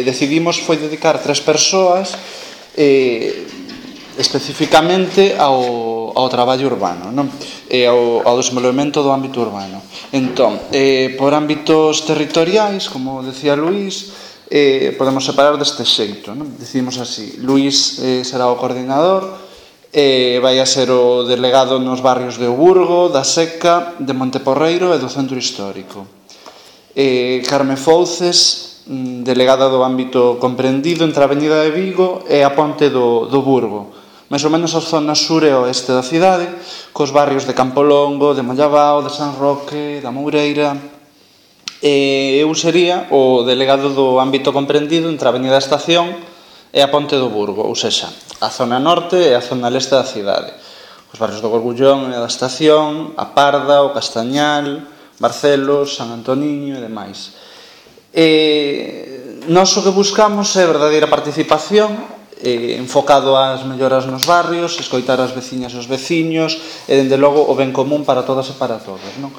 Decidimos foi dedicar 3 persoas especificamente ao traballo urbano, non? E ao desenvolvemento do ámbito urbano. Entón, por ámbitos territoriais, como decía Luís, podemos separar deste xeito, non? Decidimos así: Luís será o coordinador, vai a ser o delegado nos barrios de Burgo, da Seca, de Monteporreiro e do Centro Histórico. Carme Fouces, delegada do ámbito comprendido entre a Avenida de Vigo e a Ponte do Burgo, máis ou menos as zonas sur e oeste da cidade, cos barrios de Campolongo, de Mollabao, de San Roque, da Moureira. Eu sería o delegado do ámbito comprendido entre a Avenida da Estación e a Ponte do Burgo, ou sexa, a zona norte e a zona leste da cidade, os barrios do Gorgullón e da Estación, a Parda, o Castañal, Barcelos, San Antoniño e demais. Nós o que buscamos é verdadeira participación, enfocado ás melloras nos barrios, escoitar as veciñas e os veciños e, dende logo, o ben común para todas e para todos, non?